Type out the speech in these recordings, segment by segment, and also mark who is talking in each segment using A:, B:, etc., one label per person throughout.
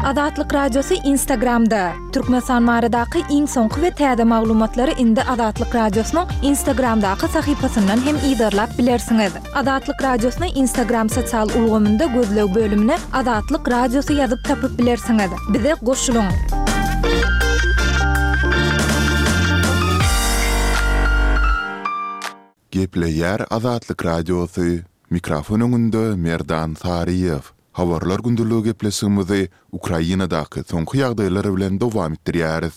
A: Azatlyk Radiosy Instagramda! Türkmenistan baradaky iň soňky we täze maglumatlary indi Azatlyk Radiosynyň Instagramdaky sahypasyndan hem yzarlap bilersiňiz. Azatlyk Radiosyny Instagram sosial ulgamynda gözleg bölümine Azatlyk Radiosy ýazyp tapyp bilersiňiz. Bize goşulyň!
B: Gepleýär Azatlyk Radiosy, Mikrofon öňünde Merdan Saryýew. Habarlar gündeligi gepleşigimizi Ukrainadaky soňky ýagdaýlar bilen dowam etdirýäris.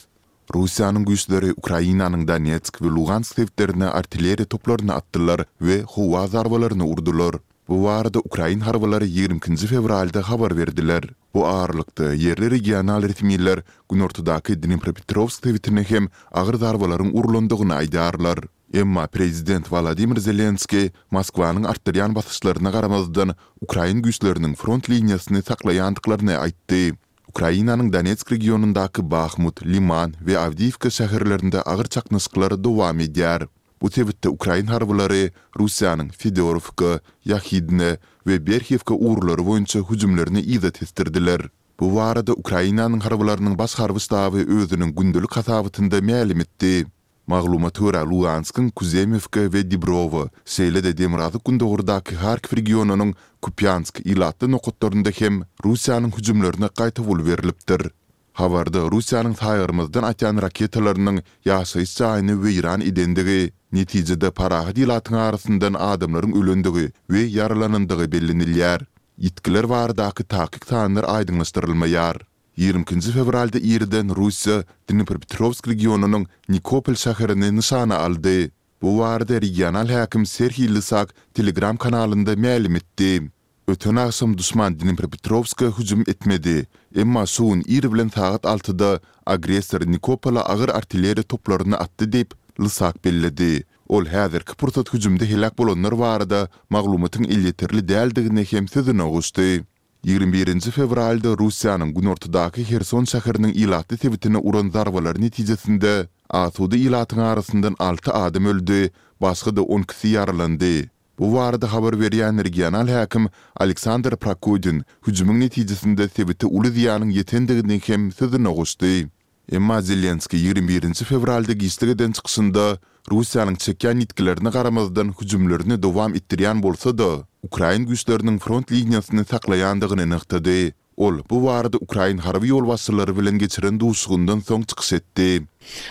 B: Russiýanyň güýçleri Ukrainanyň Donetsk we Lugansk sebitlerine artilleriýa toplaryny atdylar we howa zarbalaryny urdular. Bu barada ukrain harbylary 22-nji fewralda habar berdiler. Bu aralykda, ýerli regional resmiler günortadaky Dnepropetrowsk sebitine hem agyr zarbalaryň urlandygyny aýdýarlar. Emma prezident Wolodymyr Zelenskiý Moskwanyň artdyrýan basyşlaryna garamazdan, ukrain güýçleriniň front liniýasyny saklaýandyklaryny aýtdy. Ukrainanyň Donetsk regionyndaky Bahmut, Liman we Awdiýiwka şäherlerinde agyr çaknyşyklar dowam edýär. Bu sebitde ukrain harbylary Russiýanyň Fedorowka, Ýahidne we Berhiwka ugurlary boýunça hüjümlerini yza tesdirdiler. Bu barada Ukrainanyň harbylarynyň baş harby ştaby özüniň gündelik hasabatynda mälim etdi. Maglumata görä, Luganskyň Kuzemewka we Dibrowa, şeýle-de demirgazyk-gündogardaky Harkiw regionynyň Kupýansk ilatly nokatlarynda hem Russiýanyň hüjümlerine gaýtawul berlipdir. Habarda Russiýanyň saýgarmazdan atýan raketalarynyň ýaşaýyş jaýyny weýran edendigi, netijede parahat ilatyň arasyndan adamlaryň ölendigi we ýaralanandygy bellenilýär. Ýitgiler baradaky takyk sanlar aýdyňlaşdyrylmaýar. 22-nji fewralda irden Russiýa Dnipropetrowsk regionynyň Nikopol şäherini nyşana aldy. Bu barada regional häkim Serhiý Lysak Telegram kanalynda mälim etdi. Öten agşam duşman Dnipropetrowska hüjüm etmedi. Emma şu gün ir bilen sagat altyda agressor Nikopola agyr artilleriýa toplaryny atdy diýip, Lysak belledi. Ol häzirki pursat hüjümde heläk bolanlar barada maglumatyň elýeterli däldigini hem sözüne goşdy. 21-nji fewralda Russiýanyň günortadaky Herson şäheriniň ilatly sebitine uran zarbalary netijesinde asuda ilatyň arasyndan alty adam öldi, başga-da on ikisi ýaralandy. Bu barada habar berýän regional häkim Aleksandr Prokudin hüjümiň netijesinde sebite uly zyýanyň ýetendigini hem sözüne goşdy. Emma Zelenskiý 21-nji fewralda giçlik eden çykyşynda Russiýanyň çekýän ýitgilerine garamazdan hüjümlerini dowam etdirýän bolsa-da, ukrain güýçleriniň front liniýasyny saklaýandygyny nygtady. Ol bu barada ukrain harby ýolbaşçylary bilen geçiren duşuşygyndan soň çykyş etdi.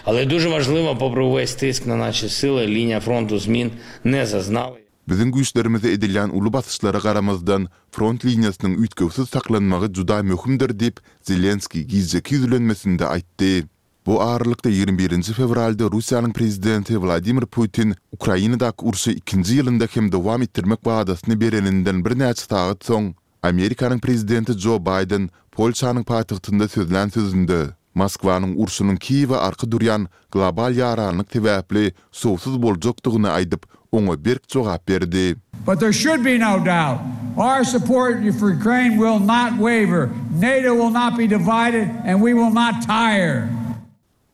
C: Ale duže wažliwo popri uwes tisk na naše sile liniýa frontu zmin ne zaznali.
B: Biziň güýçlerimize edilýän uly basyşlara garamazdan, front liniýasynyň üýtgewsiz saklanmagy juda möhümdir diýip, Zelenskiý gijeki ýüzlenmesinde aýtdy. Bu aralykda, 21-nji fewralda Russiýanyň prezidenti Wladimir Putin Ukrainadaky urşy ikinji ýylynda hem dowam etdirmek wadasyny bereninden birnäçe sagat soň, Amerikanyň prezidenti Jo Baýden Polşanyň paýtagtynda sözlän sözünde, Moskwanyň urşunyň Kiýewe arka durýan global ýaranlyk sebäpli şowsuz boljakdygyny aýdyp, oňa berk jogap berdi.
D: But there should be no doubt, our support for Ukraine will not waver, NATO will not be divided and we will not tire.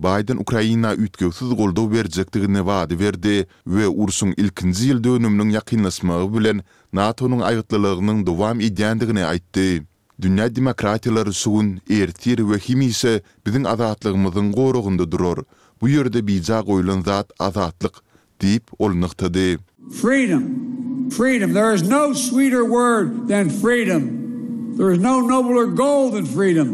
B: Baýden Ukraina üýtgewsiz goldaw berjekdigini wada berdi we urşuň ilkinji ýyl dönüminiň ýakynlaşmagy bilen NATO-nyň aýgytlylygynyň dowam edýändigini aýtdy. Dünýä demokratiýalary şu gün, ertir we hemişe biziň azatlygymyzyň goragynda durar. Bu ýerde bija goýlan zat azatlyk diýip, ol nygtady.
D: Freedom, freedom, there is no sweeter word than freedom, there is no nobler goal than freedom.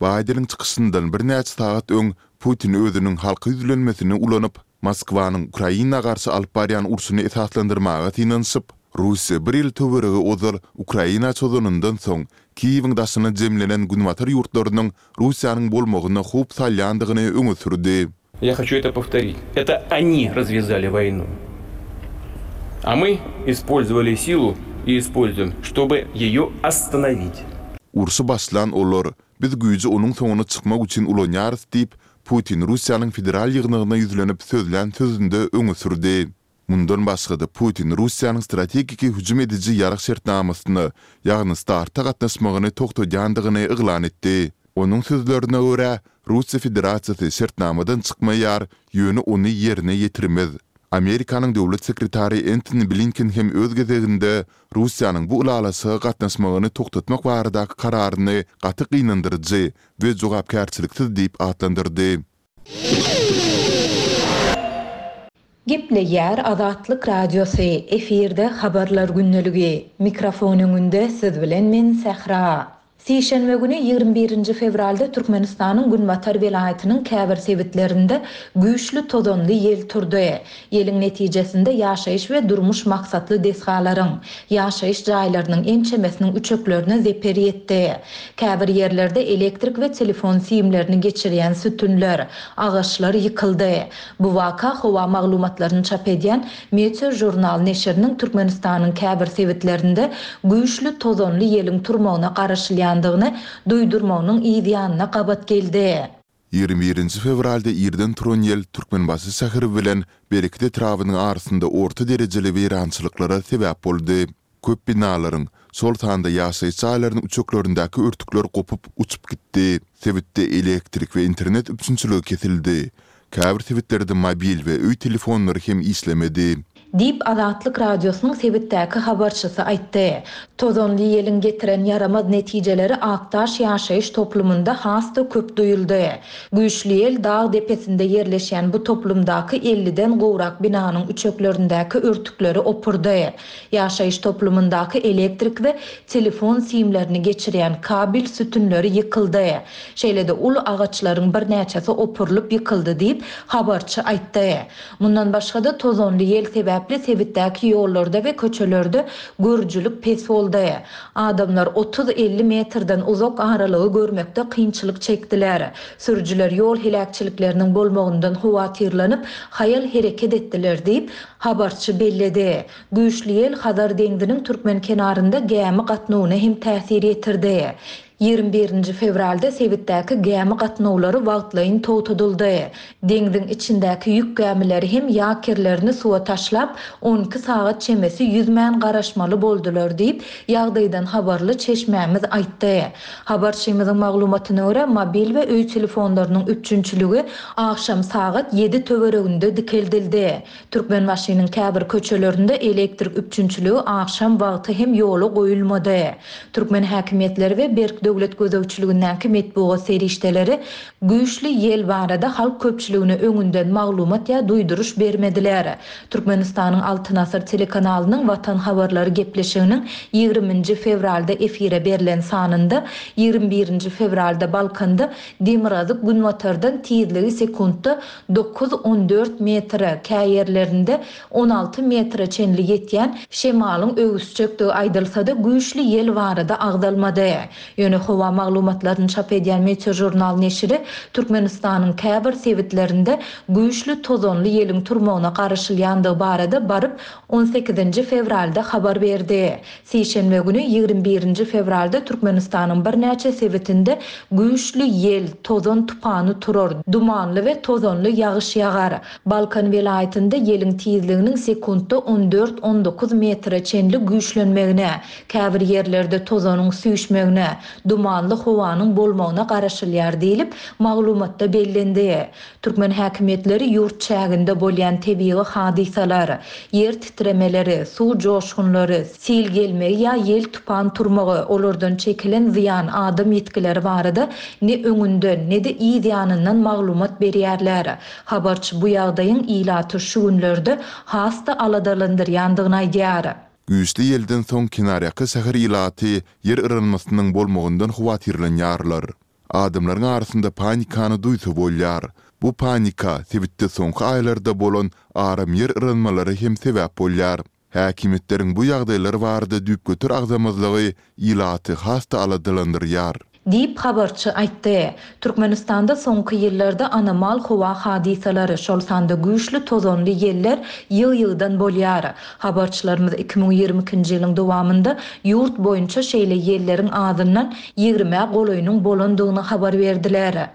B: Baýdeniň çykyşyndan birnäçe sagat öň Putin özüniň halka ýüzlenmesini ulanyp, Moskwanyň Ukraina garşy alyp barýan urşuny esaslandyrmaga synanyşyp, Russiýa bir ýyl töweregi ozal Ukraina çozanyndan soň, Kiýewiň daşyna jemlenen günbatar ýurtlarynyň Russiýanyň bolmagyna howp salýandygyny öňe sürdi.
C: Я хочу это повторить. Это они развязали войну. А мы использовали силу и используем, чтобы ее остановить.
B: Urşy başlan olar, biz güýji onuň soňuna çykmak üçin ulanýarys diýip, Putin Russiýanyň Federal Ýygnagyna ýüzlenip sözlän sözünde öňe sürdi. Mundan başga-da, Putin Russiýanyň strategiki hüjüm ediji ýarag şertnamasyna, ýagny START-a gatnaşmagyny togtadýandygyny yglan etdi. Onuň sözlerine görä, Russiýa Federasiýasy şertnamadan çykmaýar, ýöne ony ýerine ýetirmez. Amerikanyň döwlet sekretary Entoni Blinken hem öz gezeginde Russiýanyň bu ylalaşyga gatnaşmagyny togtatmak baradaky kararyny gaty gynandyryjy we jogapkärçiliksiz diýip atlandyrdy.
A: Gepleýär Azatlyk Radiosy, efirde Habarlar gündeligi. Mikrofon öňünde siz bilen men Sähra. Sişenbe güni, 21 nji fewralda Türkmenistanyň günbatar welaýatynyň käbir sebitlerinde güýçli tozanly ýel turdy. Ýeliň netijesinde ýaşaýyş we durmuş maksatly desgalaryň, ýaşaýyş jaýlarynyň ençemesiniň üçeklerine zeper ýetdi. Käbir ýerlerde elektrik we telefon simlerini geçirýän sütünler, agaçlar ýykyldy. Bu waka howa maglumatlaryny çap edýän Meteožurnal neşiriniň Türkmenistanyň käbir sebitlerinde güýçli tozanly ýeliň turmagyna garaşylýandygyny duýdurmagynyň yz ýanyna gabat geldi.
B: 21-nji fewralda irden turan ýel Türkmenbaşy şäheri bilen Bereket etrabynyň arasynda orta derejeli weýrançylyklara sebäp boldy. Köp binalaryň, şol sanda ýaşaýyş jaýlarynyň üçeklerindäki örtükler gopup, uçup gitdi. Sebitde elektrik we internet üpjünçiligi kesildi. Käbir sebitlerde mobil we öý telefonlary hem işlemedi.
A: Diýip, Azatlyk Radiosynyň sebitdäki habarçysy aýtdy. Tozanly ýeliň getiren ýaramaz netijeleri Akdaş ýaşaýyş toplumynda has-da köp duýuldy. Güýçli ýel dag depesinde ýerleşýän bu toplumdaky elliden gowrak binanyň üçeklerindäki örtükleri opurdy. Ýaşaýyş toplumyndaky elektrik we telefon simlerini geçirýän kabel sütünleri ýykyldy. Şeýle-de uly agaçlaryň birnäçesi opurylyp ýykyldy diýip, habarçy aýtdy. Mundan başga-da, tozanly ýel sebäpli sebitdäki ýollarda we köçelerde görüjilik pes boldy. Adamlar otuz-elli metrden uzak aralygy görmekde kynçylyk çekdiler. Sürüjiler ýol heläkçilikleriniň bolmagyndan howatyrlanyp, haýal hereket etdiler diýip, Habarçy belledi. Güýçli ýel Hazar deňziniň türkmen kenarynda gämi gatnawyna hem täsir ýetirdi. 21 nji fewralda sebitdäki gämi gatnawlary wagtlaýyn togtadyldy. Deňziň içindäki ýük gämileri hem ýakerlerini suwa taşlap, 12 sagat çemesi ýüzmän garaşmaly boldular diýip, ýagdaýdan habarly çeşmämiz aýtdy. Habarçymyzyň maglumatyna görä, mobil we öý telefonlarynyň üpjünçiligi agşam sagat ýedi töwereginde dikeldildi. Türkmenbaşynyň käbir köçelerinde elektrik üpjünçiligi agşam wagty hem ýola goýulmady. Türkmen häkimiýetleri we berk döwlet gözegçiligindäki metbugat serişdeleri güýçli ýel barada halk köpçüligine öňünden maglumat ýa duýduryş bermediler. Türkmenistanyň Altyn asyr telekanalynyň Watan habarlary gepleşiginiň ýigriminji fewralda efire berlen sanynda ýigrimi birinji fewralda Balkanda demirgazyk-günbatardan tizligi sekuntda dokuz, on dört metre, käýerlerinde 16 metre çenli ýetýän şemalyň öwüsjekdigi aýdylsa-da, güýçli ýel barada agzalmady. Ýöne howa maglumatlaryny çap edýän Meteožurnal neşiri Türkmenistanyň käbir sebitlerinde güýçli tozanly ýeliň turmagyna garaşylýandygy barada baryp on sekizinji fewralda habar berdi. Sişenbe güni, 21 nji fewralda Türkmenistanyň birnäçe sebitinde güýçli ýel, tozan tupany turar, dumanly we tozanly ýagyş ýagar. Balkan welaýatynda ýeliň tizliginiň sekuntda on dört, on dokuz metre çenli güýçlenmegine, käbir ýerlerde tozanyň süýşmegine, dumanly howanyň bolmagyna garaşylýar diýlip, maglumatda bellendi. Türkmen häkimiýetleri ýurt çäginde bolýan tebigy hadysalar, ýer titremeleri, suw joşgunlary, sil gelmegi ýa ýel-tupan turmagy, olardan çekilen zyýan, adam ýitgileri barada ne öňünden, ne-de yz ýanyndan maglumat berýärler. Habarçy bu ýagdaýyň ilaty şu günlerde has-da aladalandyrýandygyny aýdýar.
B: Güýçli ýelden soň kenarýaka şäher ilaty ýer yranmasynyň bolmagyndan howatyrlanýarlar. Adamlaryň arasynda panikany duýsa bolýar. Bu panika sebitde soňky aýlarda bolan aram ýer yranmalary hem sebäp bolýar. Häkimiýetleriň bu ýagdaýlar barada düýpgöter agzamazlygy ilaty has-da aladalandyrýar.
A: Diýip, habarçy aýtdy. Türkmenistanda soňky ýyllarda anomal howa hadysalary, şol sanda güýçli tozanly ýeller ýygy-ýygydan bolýar. Habarçylarymyz 2022-nji ýylyň dowamynda ýurt boýunça şeýle ýelleriň azyndan ýigrimä golaýynyň bolandygyny habar berdiler.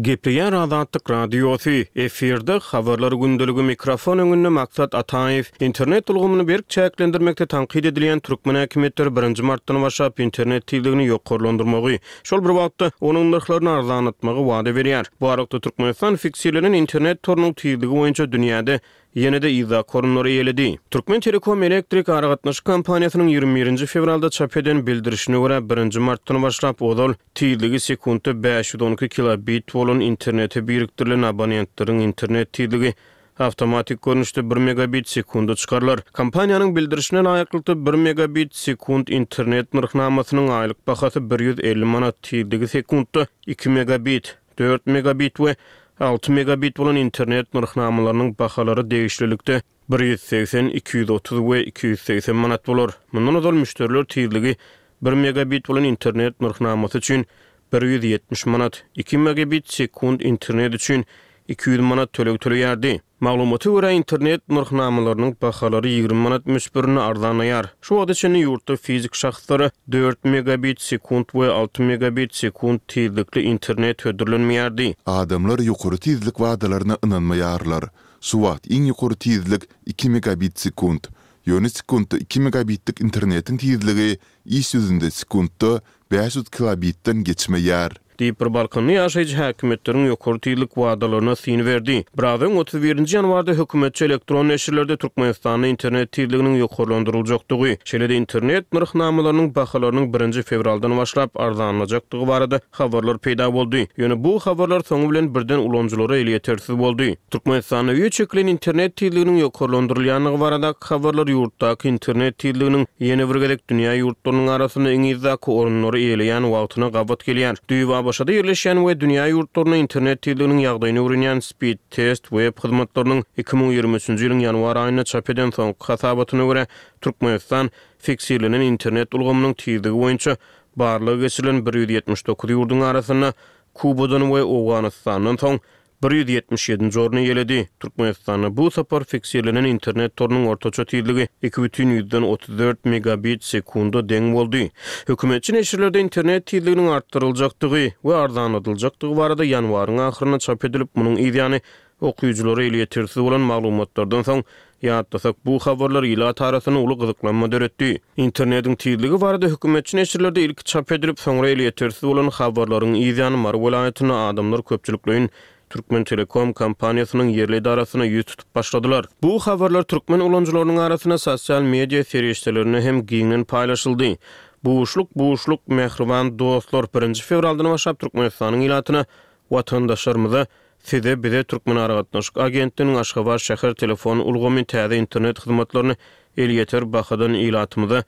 C: Gepleýär Azatlyk Radiosy, efirde Habarlar gündeligi mikrofon öňünde Maksat Ataýew. Internet ulgamyny berk çäklendirmekde tankyt edilýän türkmen häkimiýetleri birinji martdan başlap internet tizligini ýokarlandyrmagy, şol bir wagtda, onuň nyrhlaryny arzanlatmagy wada berýär. Bu aralykda Türkmenistan fiksirlenen internet torunyň tizligi boýunça dünýäde ýene-de yzdaky orunlary eýeledi. Türkmentelekom elektrik aragatnaşyk kompaniýasynyň 21 nji fewralda çap eden bildirişine görä, birinji martdan başlap ozal tizligi sekuntda 512 kilobit bolan internete birikdirilen abonentleriň internet tizligi awtomatik görnüşde bir megabit sekunda çykarylar. Kompaniýanyň bildirişine laýyklykda, bir megabit sekunt internet nyrhnamasynyň aýlyk bahasy 150 manat, tizligi sekuntda iki megabit, dört megabit we alty megabit bolan internet nyrhnamalarynyň bahalary degişlilikde 180, 230 we 280 manat bolar. Mundan ozal müşderiler tizligi bir megabit bolan internet nyrhnamasy üçin 170 manat, iki megabit sekunt internet üçin 200 manat töleg töleýärdi. Maglumata görä, internet nyrhnamalarynyň bahalary 20 manat möçberinde arzanlaýar. Şu wagta çenli ýurtda fizik şahslara dört megabit sekunt we alty megabit sekunt tizlikli internet hödürlenmeýärdi.
B: Adamlar ýokary tizlik wadalaryna ynanmaýarlar. Şu wagt iň ýokary tizlik iki megabit sekunt. Ýöne sekuntda iki megabitlik internetiň tizligi iş ýüzünde sekuntda 500 kilobitden geçmeýär.
C: Diýip, bir balkanly ýaşaýjy häkimiýetleriň ýokary tizlik wadalaryna syn berdi. Biraz öň, 31 nji ýanwarda hökümetçi elektron neşirlerde Türkmenistanda internet tizliginiň ýokarlandyryljakdygy, şeýle-de internet nyrhnamalarynyň bahalarynyň birinji fewraldan başlap arzanlajakdygy barada habarlar peýda boldy. Ýöne bu habarlar soňy bilen birden ulanyjylara elýetersiz boldy. Türkmenistanda öýe çekilen internet tizliginiň ýokarlandyrylýandygy baradaky habarlar ýurtdaky internet tizliginiň ýene bir gezek dünýä ýurtlarynyň arasynda iň yzdaky orunlary eýeleýän wagtyna gabat gelýär. Düýbi ABŞ-da ýerleşýän we dünýä ýurtlarynda internet tizliginiň ýagdaýyny öwrenýän Speedtest web hyzmatlarynyň 2023-nji ýylyň ýanwar aýynda çap eden soňky hasabatyna görä, Türkmenistan fiksirlenen internet ulgamynyň tizligi boýunça barlag geçirilen 179 ýurduň arasynda Kubadan we Owganystandan soň 177-nji orny eýeledi. Türkmenistanda bu sapar fiksirlenen internet torunyň ortaça tizligi 2,34 megabit sekunda deň boldy. Hökümetçi neşirlerde internet tizliginiň artdyryljakdygy we arzanladyljakdygy barada ýanwaryň ahyrynda çap edilip, munuň yzýany okyjylara elýetersiz bolan maglumatlardan soň Ýatlasak, bu habarlar ilat arasynda uly gyzyklanma döretdi. Internetiň tizligi barada hökümetçi neşirlerde ilki çap edilip, soňra elýetersiz bolan habarlaryň yzýany Mary welaýatynda adamlar köpçülikleýin Türkmentelekom kompaniýasynyň ýerli edarasyna ýüz tutup başladylar. Bu habarlar türkmen ulanyjylarynyň arasynda sosial media serişdelerinde hem giňden paýlaşyldy. Buşluk, buşluk, mähriban dostlar, birinji fewraldan başlap Türkmenistanyň ilatyna Watandaşlarymyza Size, bize Türkmenaragatnaşyk agentliginiň Aşgabat şäher telefon ulgamy täze internet hyzmatlaryny elýeter bahadan ilatymyza,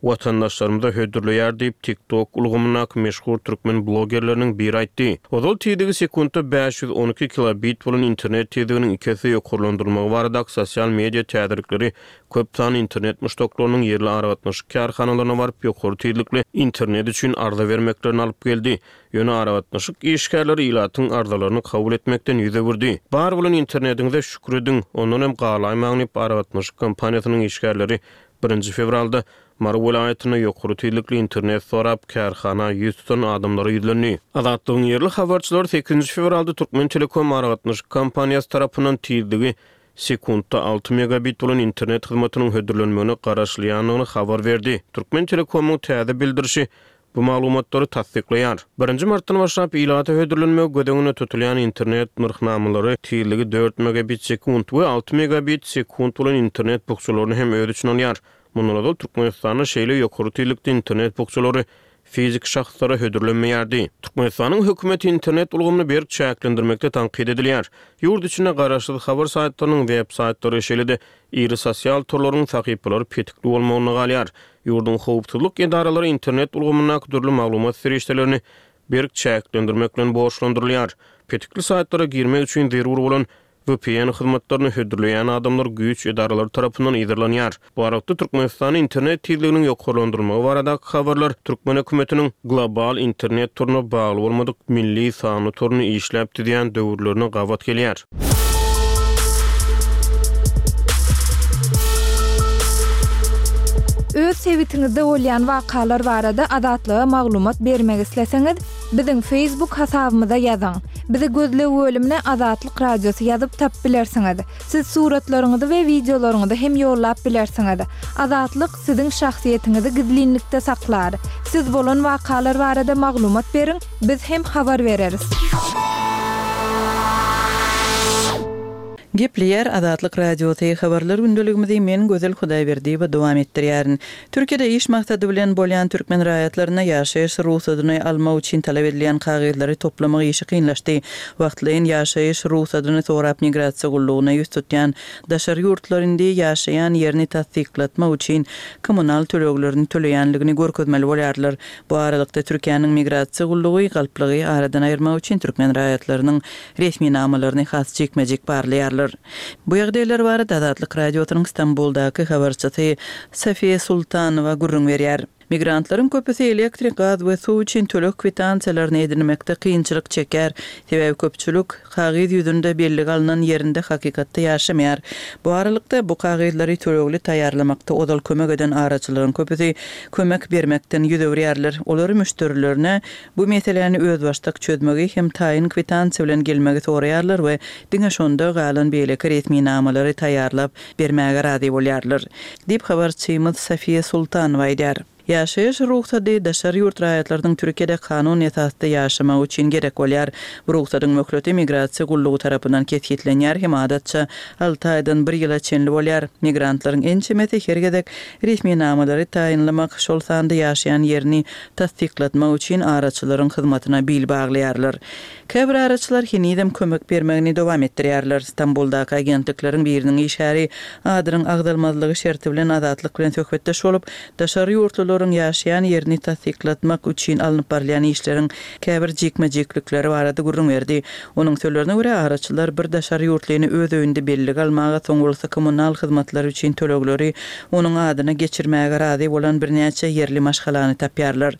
C: watandaşlarymyza hödürleýär diýip, TikTok ulgamyndaky meşhur türkmen blogerleriniň biri aýtdy. Ozal tizligi sekuntda 512 kilobit bolan internet tizliginiň iki esse ýokarlandyrylmagy baradaky sosial media täzelikleri köp sanly internet muşdaklarynyň ýerli aragatnaşyk kärhanalaryna baryp ýokary tizlikli internet üçin arza bermeklerine alyp geldi. Ýöne aragatnaşyk işgärleri ilatyň arzalaryny kabul etmekden ýüz öwürdi. Bar bolan internetiňize şükür ediň, ondan hem galaýmaň diýip, aragatnaşyk kompaniýasynyň işgärleri birinji fewralda Mary welaýatynda ýokary tizlikli internet sorap, kärhana ýüz tutan adamlara ýüzlendi. Azatlygyň ýerli habarçylary sekizinji fewralda Türkmentelekom aragatnaşyk kompaniýasy tarapyndan tizligi sekuntda alty megabit bolan internet hyzmatynyň hödürlenmegine garaşylýandygyny habar berdi. Türkmentelekomyň täze bildirişi Bu maglumatlary tassyklaýar. Birinji martdan başlap ilata hödürlenmegi göz öňünde tutulýan internet nyrhnamalary tizligi dört megabit sekunt we alty megabit sekunt bolan internet bukjalaryny hem öz içine alýar. Mundan ozal Türkmenistanda şeýle ýokary tizlikde internet bukjalary fiziki şahslara hödürlenmeýärdi. Türkmenistanyň hökümeti internet ulgamyny berk çäklendirmekde tankyt edilýär. Ýurt içinde garaşsyz habar saýtlarynyň web saýtlary, şeýle-de iri sosial torlaryň sahypalary petikli bolmagynda galýar. Ýurduň howpsuzlyk edaralary internet ulgamyndaky dürli maglumat serişdelerini berk çäklendirmek bilen borçlandyrylýar. Petikli saýtlara girmek üçin zerur bolan vpn hyzmatlaryny hödürleýän adamlar güýç edaralary tarapyndan yzarlanýar. Bu aralykda, Türkmenistanda internet tizliginiň ýokarlandyrylmagy baradaky habarlar türkmen hökümetiniň global internet toruna bagly bolmadyk milli sanly toruny işläp düzýän döwürlerine gabat gelýär.
A: Öz sebitiňizde bolýan wakalar barada Azatlyga maglumat bermek isleseňiz, biziň Facebook hasabymyza ýazyň. Bizi gözleg bölümine Azatlyk Radiosy ýazyp tapyp bilersiňiz. Siz suratlaryňyzy we wideolaryňyzy hem ýollap bilersiňiz. Azatlyk siziň şahsyýetiňizi gizlinlikde saklar. Siz bolan wakalar barada maglumat beriň, biz hem habar bereris.
E: Gepleýär Azatlyk Radiosy, Habarlar gündeligimizi men Gözel Hudaýberdiýewa dowam etdirýärin. Türkiýede iş maksady bilen bolýan türkmen raýatlaryna ýaşaýyş rugsadyny almak üçin talap edilýän kagyzlary toplamak işi kynlaşdy. Wagtlaýyn ýaşaýyş rugsadyny sorap migrasiýa gullugyna ýüz tutýan daşary ýurtlular indi ýaşaýan ýerini tassyklatmak üçin kommunal töleglerini töleýänligini görkezmeli bolýarlar. Bu aralykda Türkiýäniň migrasiýa gullugy galplygy aradan aýyrmak üçin türkmen raýatlarynyň resminamalaryny has jikme-jik barlaýarlar. Bu ýagdaýlar barada Azatlyk Radiosynyň Stambuldaky habarçysy Safiýa Sultanowa gürrüň berýär. Migrantlaryň köpüsi elektrik, gaz we suw üçin töleg kwitansiýalaryny edinmekde kynçylyk çekýär. Sebäbi köpçülik kagyz ýüzünde bellige alnan ýerinde hakykatda ýaşamaýar. Bu aralykda, bu kagyzlary tölegli taýýarlamakda ozal kömek eden araçylaryň köpüsi kömek bermekden ýüz öwürýärler. Olar müşderilerine Bu meseläni özbaşdak çözmegi hem taýyn kwitansiýa bilen gelmegi soraýarlar we diňe şonda galan beýleki resminamalary taýýarlap bermäge razy bolýarlar, diýip, habarçymyz Safiýa Sultanowa aýdýar. Ýaşaýyş rugsady daşary ýurt raýatlarynyň Türkiýede kanun esasda ýaşamagy üçin gerek bolýar. Bu rugsadyň möhleti migrasiýa gullugy tarapyndan kesgitlenýär hem adatça alty aýdan bir ýyla çenli bolýar. Migrantlaryň ençemesi her gezek resminamalary taýynlamak, şol sanda ýaşaýan ýerini tassyklatmak üçin araçylaryň hyzmatyna bil baglaýarlar. Käbir araçylar henizem kömek bermegini dowam etdirýärler. Stambuldaky agentlikleriň biriniň işgäri adynyň agzalmazlygy şerti bilen Azatlyk bilen söhbetdeş bolup, daşary ýurtlularyň ýaşaýan ýerini tassyklatmak üçin alnyp barylýan işleriň käbir jikme-jiklikleri barada gürrüň berdi. Onuň sözlerine görä, araçylar bir daşary ýurtlyny öz öýünde bellige almaga, soň bolsa kommunal hyzmatlary üçin tölegleri onuň adyna geçirmäge razy bolan birnäçe ýerli maşgalany tapýarlar.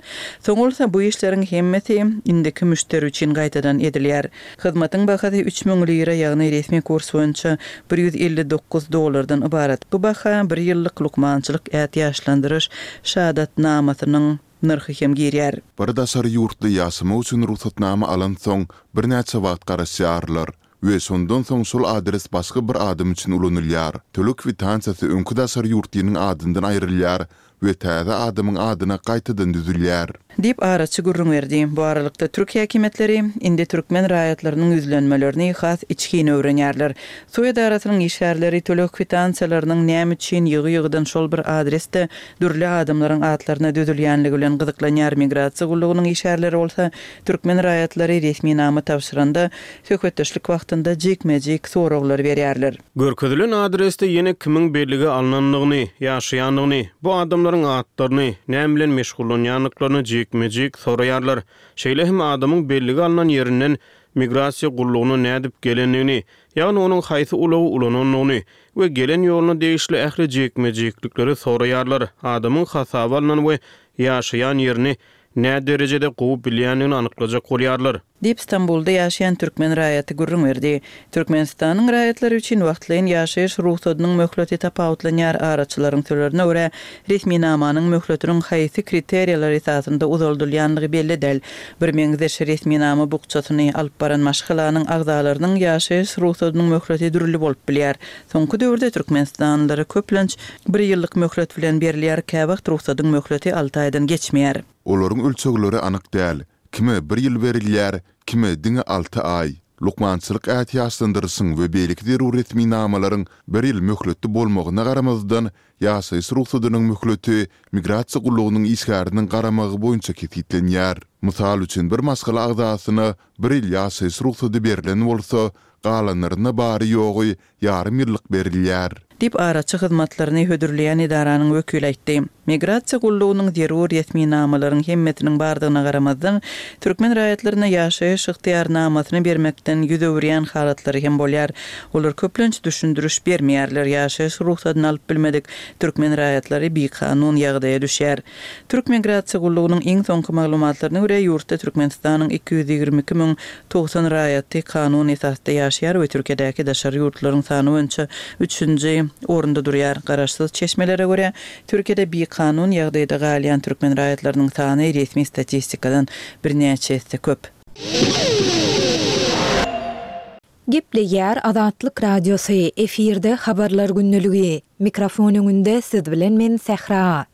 E: Soň bolsa bu işleriň hemmesi indiki müşderi üçin gaýtadan edilýär. Hyzmatyň bahasy 3000 lira, ýagny resmi kurs boýunça 159 dollardan ybarat. Bu baha bir ýyllyk lukmançylyk ätiýaçlandyryş şahadatnamasynyň nyrhy hem girýär.
B: Bir daşary ýurtly ýaşamak üçin rugsatnama alansoň birnäçe wagt garaşýarlar we şondan soň şol adres başga bir adam üçin ulanylýar. Töleg kwitansiýasy öňki daşary ýurtlynyň adyndan aýrylýar we täze adamyň adyna gaýtadan düzülýär.
E: Diýip, araçy gürrüň berdi. Bu aralykda, türk häkimiýetleri indi türkmen raýatlarynyň ýüzlenmelerini has içgin öwrenýärler. Suw edarasynyň işgärleri töleg kwitansiýalarynyň näme üçin ýygy-ýygydan şol bir adresde dürli adamlaryň atlaryna düzülýänligi bilen gyzyklanýar, migrasiýa gullugynyň işgärleri bolsa türkmen raýatlary resminama tabşyranda, söhbetdeşlik wagtynda jikme-jik soraglar berýärler.
C: Görkezilen adresde ýene kimiň bellige alnandygyny, ýaşaýandygyny, bu adamlaryň atlaryny, näme bilen meşgullanýandyklaryny jikme-jik soraýarlar. Şeýle hem adamyň bellige alnan ýerinden migrasiýa gullugyna nädip gelendigini, ýagny onuň haýsy ulagy ulanandygyny we gelen ýoluna degişli ähli jikme-jiklikleri soraýarlar, adamyň hasaba alnan we ýaşaýan ýerini näderejede gowy bilýändigini anyklajak bolýarlar.
E: Diýip, Stambulda ýaşaýan türkmen raýaty gürrüň berdi. Türkmenistanyň raýatlary üçin wagtlaýyn ýaşaýyş rugsadynyň möhleti tapawutlanýar, araçylaryň sözlerine görä, resminamanyň möhletiniň haýsy kriteriýalar esasynda uzaldylýanlygy belli däl. Birmeňzeş resminama bukjasyny alyp baran maşgalanyň agzalarynyň ýaşaýyş rugsadynyň möhleti dürli bolup bilýär. Soňky döwürde türkmenistanlylara köplenç bir ýyllyk möhlet bilen berilýär, käwagt rugsadyň möhleti alty aýdan geçmeýär.
B: Olaryň ölçegleri anyk däl, kime bir ýyl berilýär, kime diňe alty aý. Lukmançylyk ätiýaçlandyryşyň we beýleki zerur resminamalaryň bir ýyl möhletli bolmagyna garamazdan, ýaşaýyş rugsadynyň möhleti migrasiýa gullugynyň işgäriniň garamagy boýunça kesgitlenýär. Mysal üçin, bir maşgala agzasyna bir ýyl ýaşaýyş rugsady berlen bolsa, galanlaryna bary-ýogy ýarym ýyllyk berilýär.
E: Diýip, araçy hyzmatlaryny hödürleýän edaranyň wekili aýtdy. Migrasiýa gullugynyň zerur resminamalaryň hemmesiniň bardygyna garamazdan, türkmen raýatlaryna ýaşaýyş ygtyýarnamasyny bermekden ýüz öwürýän halatlary hem bolýar. Olar köplenç düşündiriş bermeýärler, ýaşaýyş rugsadyny alyp bilmedik türkmen raýatlary bikanun ýagdaýa düşýär. Türk migrasiýa gullugynyň iň soňky maglumatlaryna görä, ýurtda Türkmenistanyň 222 090 raýaty kanun esasda ýaşaýar we Türkiýedäki daşary ýurtlylaryň sany boýunça üçünji orunda durýar. Garaşsyz çeşmelere görä, Türkiýede bikanun ýagdaýda galýan türkmen raýatlarynyň sany resmi statistikadan birnäçe esse köp.
A: Gepleýär Azatlyk Radiosy, efirde Habarlar gündeligi. Mikrofon öňünde siz bilen men Sähra.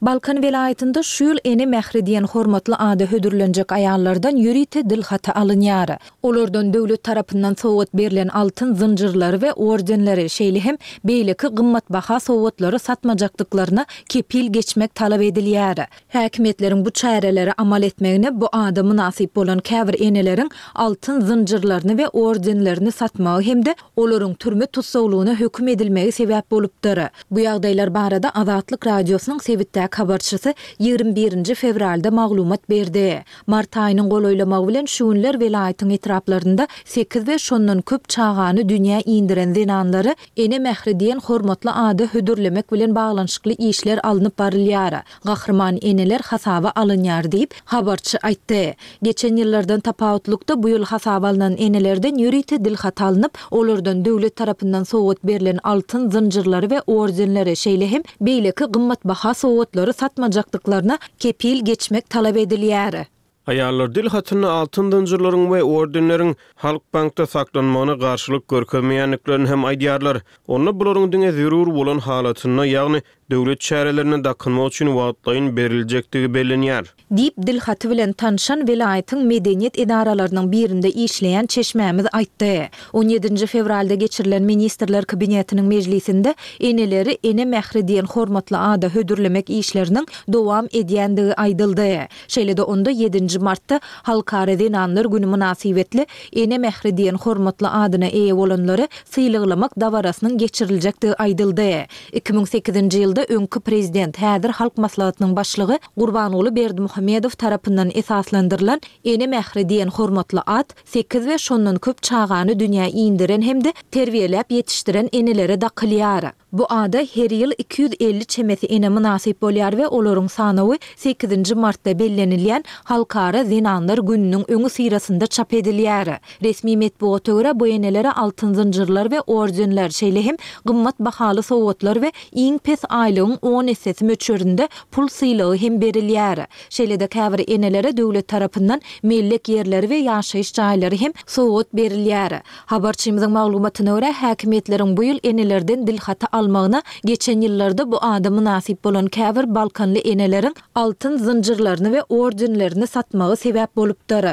A: Balkan welaýatynda şu ýyl Ene mähri diýen hormatly ada hödürlenjek aýallardan ýörite dilhaty alynýar. Olardan döwlet tarapyndan sowgat berlen altyn zynjyrlary we ordenleri, şeýle hem beýleki gymmatbaha sowgatlary satmajakdyklaryna kepil geçmek talap edilýär. Häkimiýetleriň bu çärelere amal etmegine bu ada mynasyp bolan käbir eneleriň altyn zynjyrlaryny we ordenlerini satmagy hem-de olaryň türme tussaglygyna höküm edilmegi sebäp bolupdyr. Bu ýagdaýlar barada Azatlyk Radiosynyň sebitdäki habarçysy 21 nji fewralda maglumat berdi. Mart aýynyň golaýlamagy bilen şu günler welaýatyň etraplarynda sekiz we şondan köp çagany dünýä indiren zenanlary Ene mähri diýen hormatly ada hödürlemek bilen baglanyşykly işler alnyp barylýar. Gahryman eneler hasaba alynýar diýip, habarçy aýtdy. Geçen ýyllardan tapawutlykda, bu ýyl hasaba alnan enelerden ýörite dilhaty alnyp, olardan döwlet tarapyndan sowgat berlen altyn zynjyrlary we ordenleri, şeýle hem beýleki gymmatbaha sowgatlary satmajakdyklaryna kepil geçmek talap edilýär.
C: Aýallar dil hatynda altyn zynjyrlaryň we ordenleriň Halkbankda saklanmagyna garşylyk görkezmeýändiklerini hem aýdýarlar. Onda bularyň diňe zerur bolan halatynda, ýagny döwlet çärelerinde dakynmak üçin wagtlaýyn beriljekdigi bellenýär.
A: Diýip, dil haty bilen tanşan welaýatyň medeniýet edaralarynyň birinde işleýän çeşmämiz aýtdy. On ýedinji fewralda geçirilen Ministrler Kabinetiniň mejlisinde eneleri Ene mähri diýen hormatly ada hödürlemek işleriniň dowam edýändigi aýdyldy. Şeýle-de onda ýedinji martda Halkara zenanlar güni mynasybetli Ene mähri diýen hormatly adyna eýe bolanlary sylaglamak dabarasynyň geçiriljekdigi aýdyldy. 2008-nji ýylda öňki prezident, häzir Halk Maslahatynyň başlygy Gurbanguly Berdimuhamedow tarapyndan esaslandyrylan Ene mähri diýen hormatly at sekiz we şondan köp çagany dünýä indiren hem-de terbiýeläp ýetişdiren enelere dakylýar. Bu ada her ýyl 250 çemesi ene mynasyp bolýar we olaryň sanawy sekizinji martda bellenilýän Halkara zenanlar gününiň öňüsyrasynda çap edilýär. Resmi metbugata görä, bu enelere altyn zynjyrlar we ordenler, şeýle hem gymmat bahaly sowgatlar we iň pes aýlygyň on essesi möçberinde pul sylagy hem berilýär. Şeýle-de käbir enelere döwlet tarapyndan mellek ýerleri we ýaşaýyş jaýlary hem sowgat berilýär. Habarçymyzyň maglumatyna görä, häkimiýetleriň bu ýyl enelerden dilhaty almagyna geçen ýyllarda bu ada mynasyp bolan käbir balkanly eneleriň altyn zynjyrlaryny we ordenlerini satmagy sebäp bolupdyr.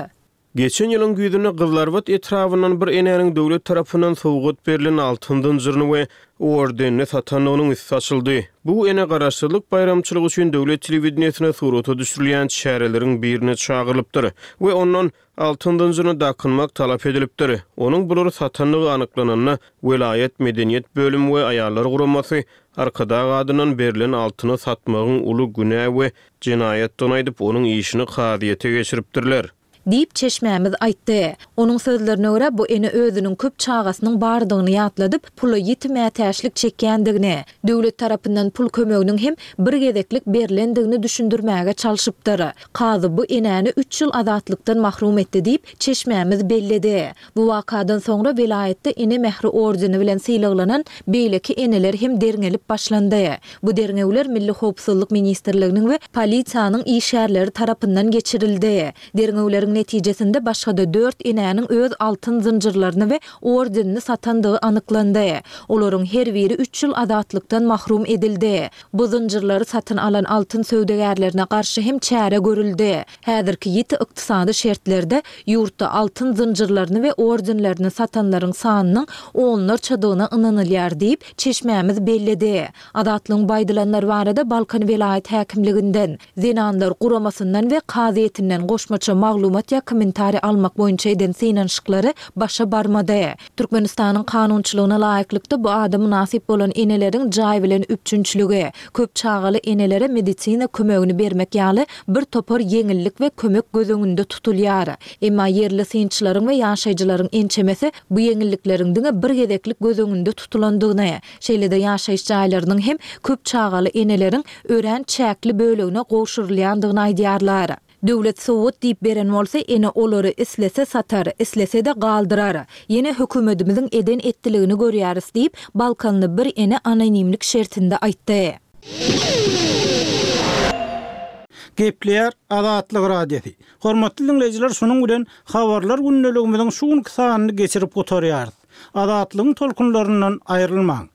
C: Geçen ýylyň güýzünde Gyzylarbat etrabyndan bir enäniň döwlet tarapyndan sowgat berlen altyn zynjyryny we ordenini satandygynyň üsti açyldy. Bu ene Garaşsyzlyk baýramçylygy üçin döwlet telewideniýesine surata düşürilýän çäreleriň birine çagyrylypdyr we ondan Altyn zynjyryny dakynmak talap edilipdir. Onuň bulary satandygy anyklananda, welaýat medeniýet bölümi we aýallar guramasy Arkadag adyndan berlen altyny satmagyň uly günä we jenaýatdygyny aýdyp, onuň işini kazyýete geçiripdirler.
A: Diýip, çeşmämiz aýtdy. Onuň sözlerine görä, bu ene özüniň köp çagasynyň bardygyny ýatladyp, pula ýiti mätäçlik çekýändigini, döwlet tarapyndan pul kömeginiň hem bir gezeklik berlendigini düşündirmäge çalşypdyr. Kazy bu enäni üç ýyl azatlykdan mahrum etdi diýip, çeşmämiz belledi. Bu wakadan soňra welaýatda Ene mähri ordeni bilen sylaglanan beýleki eneler hem derňelip başlandy. Bu derňewler Milli howpsuzlyk ministrliginiň we polisiýanyň işgärleri tarapyndan geçirildi. Derňewleriň netijesinde başga-da dört enäniň öz altyn zynjyrlaryny we ordenini satandygy anyklandy. Olaryň her biri üç ýyl azatlykdan mahrum edildi. Bu zynjyrlary satyn alan altyn söwdagärlerine garşy hem çäre görüldi. Häzirki ýiti ykdysady şertlerde ýurtda altyn zynjyrlaryny we ordenlerini satanlaryň sanynyň onlarçadygyna ynanylýar diýip, çeşmämiz belledi. Azatlygyň bu aýdylanlar barada Balkan welaýat häkimliginden, Zenanlar guramasyndan we kazyýetinden goşmaça maglumat ýa kommentariý almak boýunça eden synanyşyklary başa barmady. Türkmenistanyň kanunçylygyna laýyklykda bu ada mynasyp bolan eneleriň jaý bilen üpjünçiligi, köp çagaly enelere medisina kömegini bermek ýaly bir topar ýeňillik we kömek göz öňünde tutulýar. Emma ýerli synçylaryň we ýaşaýjylaryň ençemesi bu ýeňillikleriň diňe bir gezeklik göz öňünde tutulandygyny, şeýle-de ýaşaýyş jaýlarynyň hem köp çagaly eneleriň örän çäkli bölegine gowşurylýandygyny aýdýarlar. Döwlet sowgat diýip beren bolsa ene olary islese satar, islese-de galdyrar. Ýene hökümedimiziň eden-etdiligini görýäris diýip, balkanly bir ene anonimlik şertinde aýtdy.
F: Gepleýär Azatlyk Radiosy. Hormatly diňleýjiler şunuň bilen Habarlar gündeligimiziň şu günki sanyny geçirip gutarýarys. Azatlygyň tolkunlaryndan aýrylmaň.